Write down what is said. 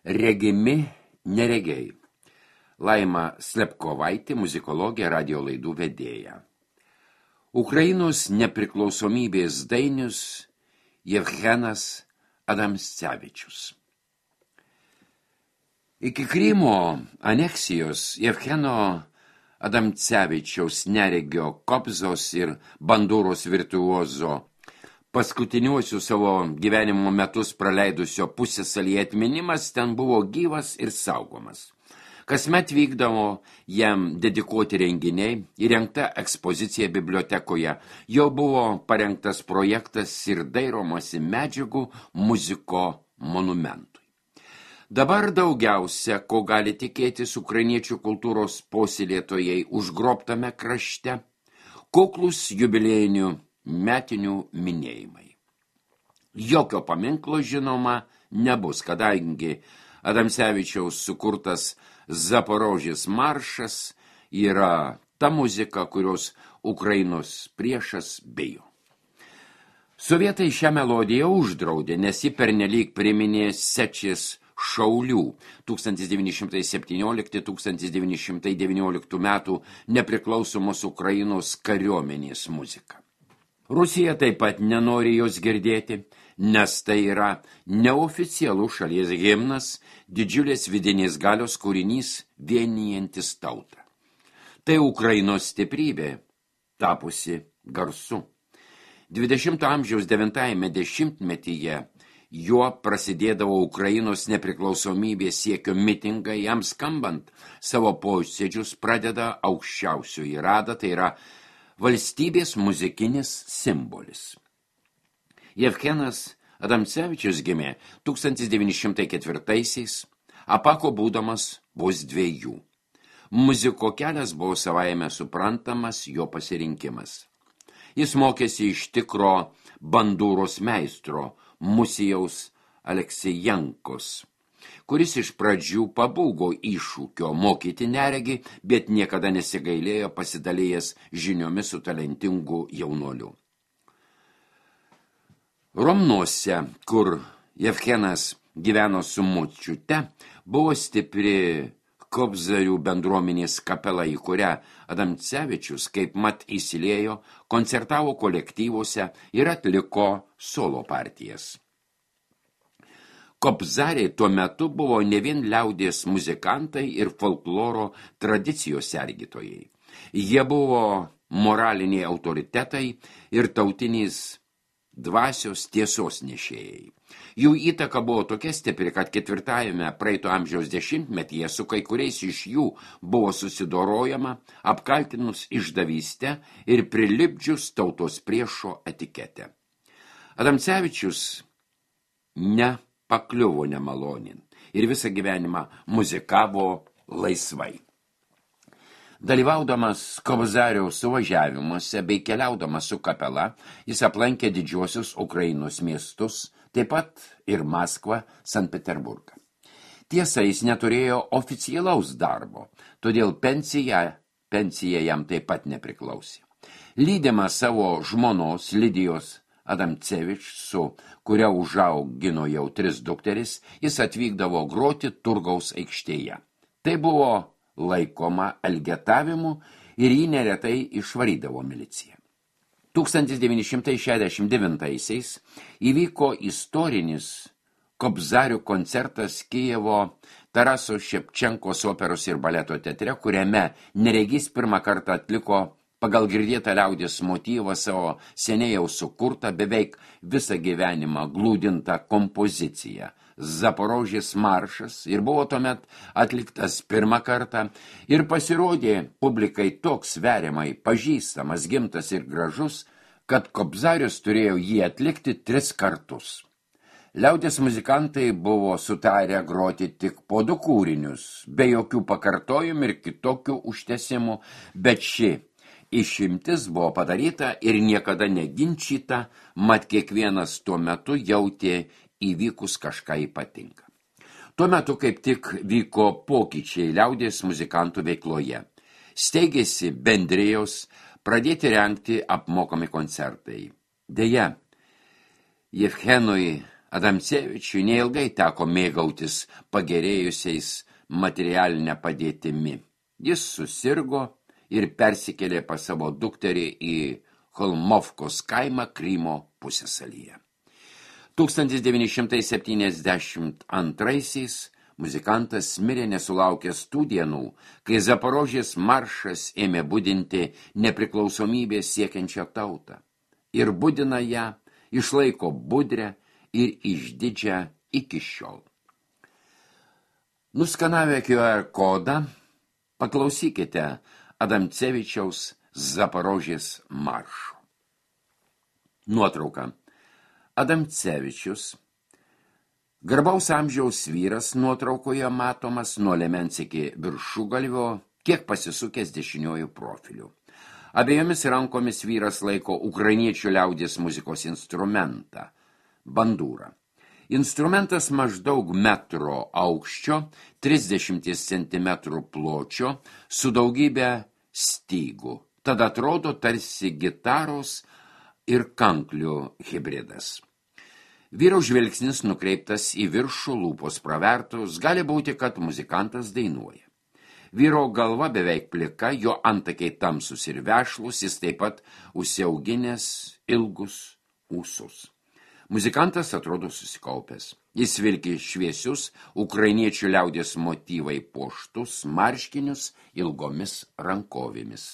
Regimi neregiai. Laima Slepkovaitė, muzikologė, radio laidų vedėja. Ukrainos nepriklausomybės dainius Jevgenas Adamcevičius. Iki Krymo aneksijos Jevgeno Adamcevičiaus neregio Kobzos ir bandūros virtuozo paskutiniuosius savo gyvenimo metus praleidusio pusiasalyje atminimas ten buvo gyvas ir saugomas. Kasmet vykdavo jam dedikuoti renginiai, įrengta ekspozicija bibliotekoje, jo buvo parengtas projektas ir dairomasi medžiagų muziko monumentui. Dabar daugiausia, ko gali tikėtis ukrainiečių kultūros puoselėtojai užgrobtame krašte, kuklūs jubiliejinių metinių minėjimai. Jokio paminklo, žinoma, nebus, kadangi Adamcevičiaus sukurtas Zaporožės maršas yra ta muzika, kurios Ukrainos priešas bijo. Sovietai šią melodiją uždraudė, nes ji pernelyg priminė Sečės šaulių 1917-1919 metų nepriklausomos Ukrainos kariuomenės muziką. Rusija taip pat nenori jos girdėti, nes tai yra neoficialus šalies himnas, didžiulės vidinės galios kūrinys vienijantis tautą. Tai Ukrainos stiprybė, tapusi garsu. 20 amžiaus 9 dešimtmetyje juo prasidėdavo Ukrainos nepriklausomybės siekio mitingai, jam skambant savo posėdžius pradeda aukščiausioji rada, tai yra valstybės muzikinis simbolis. Jevgenas Adamcevičius gimė 1904-aisiais, apako būdamas vos 2. Muziko kelias buvo savaime suprantamas jo pasirinkimas. Jis mokėsi iš tikro bandūros meistro Musijaus Aleksijenkos, kuris iš pradžių pabūgo iššūkio mokyti neregį, bet niekada nesigailėjo pasidalėjęs žiniomis su talentingu jaunuoliu. Romnuose, kur Jevgenas gyveno su močiute, buvo stipri Kobzarių bendruomenės kapela, į kurią Adamcevičius kaip mat įsiliejo, koncertavo kolektyvuose ir atliko solo partijas. Kobzariai tuo metu buvo ne vien liaudies muzikantai ir folkloro tradicijos sergėtojai. Jie buvo moraliniai autoritetai ir tautinės dvasios tiesos nešėjai. Jų įtaka buvo tokia stipri, kad 4 praeito amžiaus dešimtmetyje su kai kuriais iš jų buvo susidorojama, apkaltinus išdavystę ir prilipdžius tautos priešo etiketę. Adamcevičius pakliuvo nemalonin ir visą gyvenimą muzikavo laisvai. Dalyvaudamas Kobzariaus suvažiavimuose bei keliaudamas su kapela, jis aplankė didžiuosius Ukrainos miestus, taip pat ir Maskvą, Sankt Peterburgą. Tiesa, jis neturėjo oficialaus darbo, todėl pensija jam taip pat nepriklausė. Lydimas savo žmonos Lidijos Adamcevič, su kuria užaugino jau 3 dukteris, jis atvykdavo groti Turgaus aikštėje. Tai buvo laikoma elgetavimu ir jį neretai išvarydavo milicija. 1969-aisiais įvyko istorinis Kobzarių koncertas Kijevo Taraso Ševčenkos operos ir baleto teatre, kuriame neregys pirmą kartą atliko pagal girdėtą liaudies motyvą savo seniai jau sukurtą, beveik visą gyvenimą glūdintą kompoziciją Zaporožės maršas ir buvo tuomet atliktas pirmą kartą ir pasirodė publikai toks sveriamai pažįstamas, gimtas ir gražus, kad Kobzarius turėjo jį atlikti 3 kartus. Liaudies muzikantai buvo sutarę groti tik po 2 kūrinius, be jokių pakartojimų ir kitokių užtesimų, bet ši išimtis buvo padaryta ir niekada neginčyta, mat kiekvienas tuo metu jautė įvykus kažką ypatinga. Tuo metu kaip tik vyko pokyčiai liaudies muzikantų veikloje. Steigėsi bendrijos, pradėti rengti apmokami koncertai. Deja, Jevgenui Adamcevičiui neilgai teko mėgautis pagerėjusiais materialinę padėtimi. Jis susirgo ir persikėlė pas savo dukterį į Holmovkos kaimą Krymo pusiasalyje. 1972 muzikantas mirė nesulaukęs tų dienų, kai Zaporožės maršas ėmė budinti nepriklausomybės siekiančią tautą. Ir budina ją, išlaiko budrę ir išdidžią iki šiol. Nuskanavę QR kodą, paklausykite Adamcevičiaus Zaporožės maršo. Nuotrauka. Adamcevičius, garbaus amžiaus vyras, nuotraukoje matomas nuo liemens iki viršugalvio, kiek pasisukęs dešiniuoju profiliu. Abiejomis rankomis vyras laiko ukrainiečių liaudies muzikos instrumentą – bandūrą. Instrumentas maždaug metro aukščio, 30 cm pločio, su daugybė stygų. Tad atrodo tarsi gitaros ir kanklių hibridas. Vyro žvilgsnis nukreiptas į viršų, lūpos pravertos, gali būti, kad muzikantas dainuoja. Vyro galva beveik plika, jo antakiai tamsus ir vešlus, jis taip pat užsiauginęs ilgus ūsus. Muzikantas atrodo susikaupęs. Jis vilki šviesius ukrainiečių liaudies motyvai puoštus marškinius ilgomis rankovėmis.